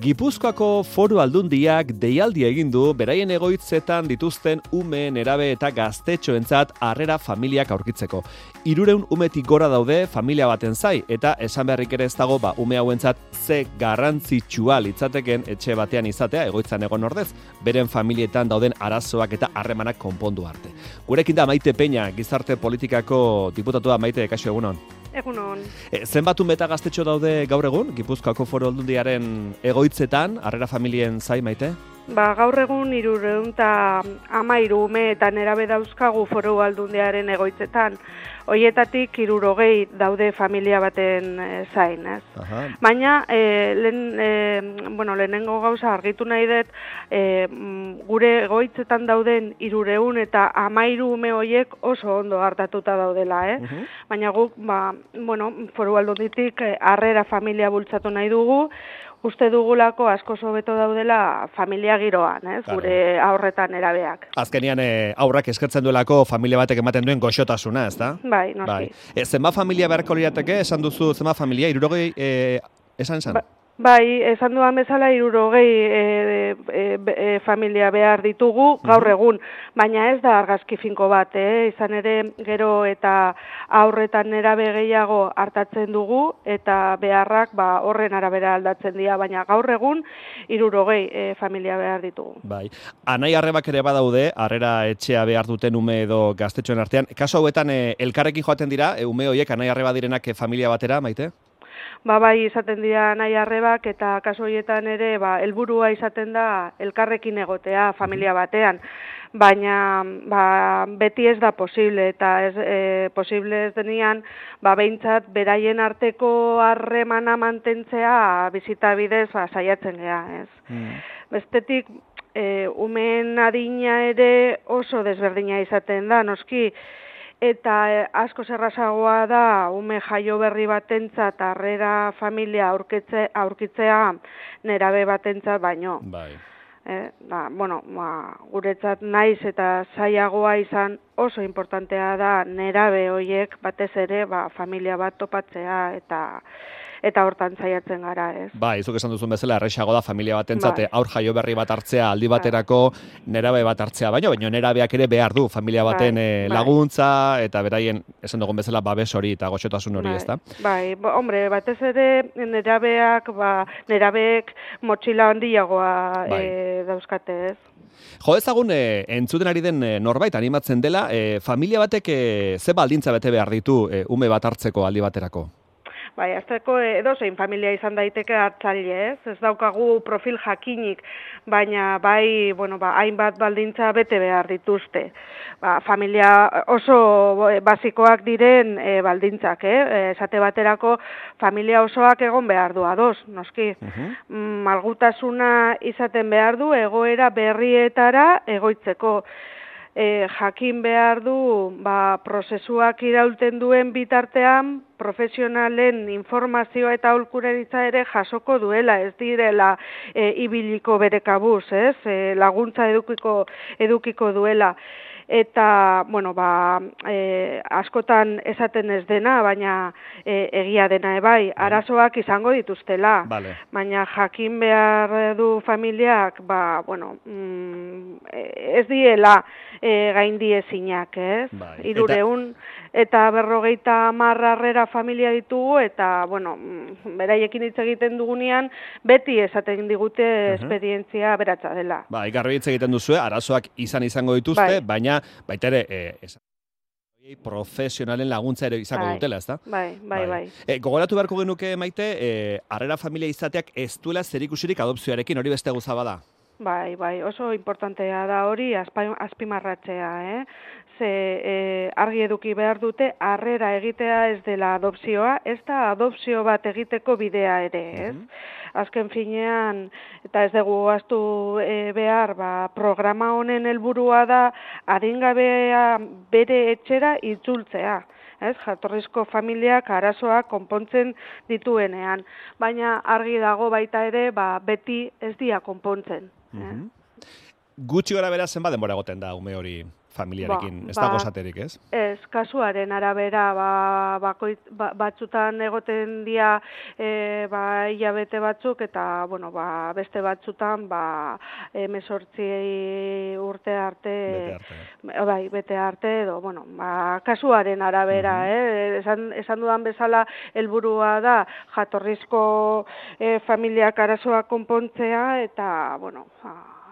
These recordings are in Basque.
Gipuzkoako Foru Aldundiak deialdi egin du beraien egoitzetan dituzten ume, nerabe eta gaztetxoentzat harrera familiak aurkitzeko. 300 umetik gora daude familia baten zai, eta esan beharrik ere ez dago ume hauentzat ze garrantzitsua litzateken etxe batean izatea egoitzan egon ordez, beren familietan dauden arazoak eta harremanak konpondu arte. Gurekin da Maite Peña, gizarte politikako diputatua. Maite, kaixo, egunon. Egunon. Zenbat ume eta gaztetxo daude gaur egun, Gipuzkoako Foru Aldundiaren egoitzetan, harrera familien zai, Maite? Gaur egun 313 ume eta nerabe dauzkagu Foru Aldundiaren egoitzetan. Hoietatik 60 daude familia baten zain, ez? Baina, lehenengo gauza argitu nahi dut, gure egoitzetan dauden 313 ume horiek oso ondo hartatuta daudela, Baina guk, Foru Aldunditik harrera familia bultzatu nahi dugu, uste dugulako asko hobeto daudela familia giroan, gure haurretan erabeak. Azkenian aurrak eskertzen duelako familia batek ematen duen goxotasuna, ez da? Bai, noski. Zenbat familia beharko lirateke, esan duzu zenbat familia, 60 esan? Bai, esan duan bezala 60 familia behar ditugu gaur egun, baina ez da argazki finko bat, izan ere gero eta aurretan nerabe gehiago hartatzen dugu eta beharrak horren arabera aldatzen dira, baina gaur egun 60 familia behar ditugu. Bai, anai arrebak ere badaude, harrera etxea behar duten ume edo gaztetxoen artean. Kaso hauetan elkarrekin joaten dira, ume horiek anai arreba direnak familia batera, Maite? Bai, izaten dira nahi arrebak eta kaso horietan ere helburua izaten da elkarrekin egotea familia batean. Baina beti ez da posible eta posible ez denean behintzat beraien arteko harremana mantentzea bizita bidez saiatzen gea, ez? Bestetik, umeen adina ere oso desberdina izaten da, noski, eta asko errazagoa da ume jaio berri batentzat harrera familia aurkitzea nerabe batentzat baino. Bai. Guretzat naiz eta zailagoa izan oso importantea da nerabe horiek batez ere familia bat topatzea eta hortan saiatzen gara, ez? Bai, zuk esan duzun bezala errazago da familia batentzat aur jaio berri bat hartzea aldi baterako nerabe bat hartzea, baino nerabeak ere behar du familia baten laguntza eta beraien esan dugun bezala babes hori eta goxotasun hori, ezta? Bai, hombre, batez ere nerabeek motxila handiagoa dauzkate, ez? Jo ezagun entzuten ari den norbait animatzen dela, familia batek ze baldintza bete behar ditu ume bat hartzeko aldi baterako? Bai, azteko edozein familia izan daiteke hartzaile, ez? Ez daukagu profil jakinik, baina hainbat baldintza bete behar dituzte. Familia oso basikoak diren baldintzak, esate baterako familia osoak egon behar du ados, noski. Malgutasuna izaten behar du egoera berrietara egoitzeko. Jakin behar du prozesuak iraulten duen bitartean profesionalen informazioa eta aholkularitza ere jasoko duela, ez direla ibiliko bere kabuz, ez? Laguntza edukiko duela. Eta, askotan esaten ez dena, baina egia dena bai, arazoak izango dituztela. Baina jakin behar du familiak, ez diela gaindiezinak, ez? 300 eta 50 harrera familia ditugu, eta, beraiekin hitz egiten dugunean, beti esaten digute esperientzia beratza dela. Garbi hitz egiten duzue, arazoak izango dituzte, baina baita ere profesionalen laguntza ere izango dutela, ezta? Bai. Gogoratu beharko genuke, Maite, harrera familia izateak ez duela zerikusirik adopzioarekin, hori beste gauza bada? Bai, oso importantea da hori azpimarratzea, Ze argi eduki behar dute harrera egitea ez dela adopzioa, ez da adopzio bat egiteko bidea ere, ez? Azken finean, eta ez dugu ahaztu behar, programa honen helburua da adingabea bere etxera itzultzea. Jatorrizko familiak arazoak konpontzen dituenean, baina argi dago baita ere beti ez dira konpontzen. Gutxi gara bera zenbat denbora egoten da ume hori familiarekin, ez dago esaterik, ez? Ez, kasuaren arabera, batzutan egoten dira hilabete batzuk, eta, beste batzutan, 18 urte arte, bete arte, edo, kasuaren arabera, esan dudan bezala, helburua da, jatorrizko familiak arazoa konpontzea, eta,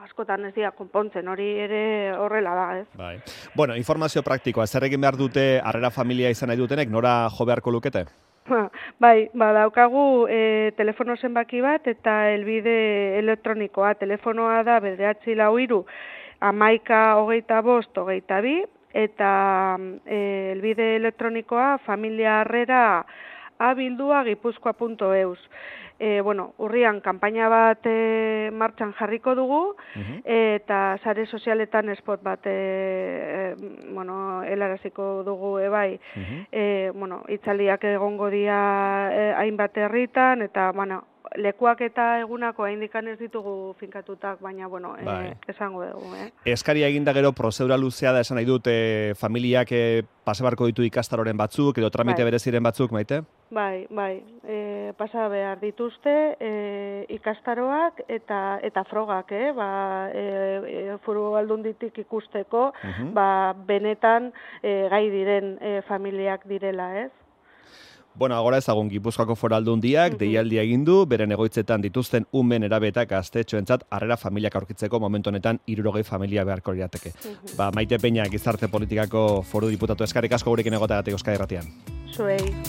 askotan ez dira konpontzen, hori ere horrela da, ez? Bai. Bueno, informazio praktikoa, zer egin behar dute harrera familia izan nahi dutenek, nora jo beharko lukete? Bai, daukagu telefono zenbaki bat eta helbide elektronikoa. Telefonoa da 943 11 25 eta helbide elektronikoa familiaharrera@gipuzkoa.eus. Urrian kanpaina bat martxan jarriko dugu, eta sare sozialetan spot bat helaraziko dugu ebai. Itzaliak egongo dira hainbat herritan, eta lekuak eta egunako haindikan ez ditugu finkatutak, baina, esango dugu. Eskaria eginda gero prozedura luzea da esan nahi dut familiak pasa beharko ditu ikastaroren batzuk, edo tramite bereziren batzuk, Maite? Bai, pasa behar dituzte ikastaroak eta frogak, Foru Aldunditik ikusteko, benetan gai diren familiak direla, ez? Bueno, agora ezagun Gipuzkoako Foru Aldundiak deialdia egin du, beren egoitzetan dituzten ume, nerabe eta gaztetxoentzat harrera familiak aurkitzeko momentu honetan 60 familia beharko lirateke. Maite Peña, Gizarte Politikako Foru Diputatu, eskerrik asko gurekin egoteagatik Euskadi Irratian. Zuei.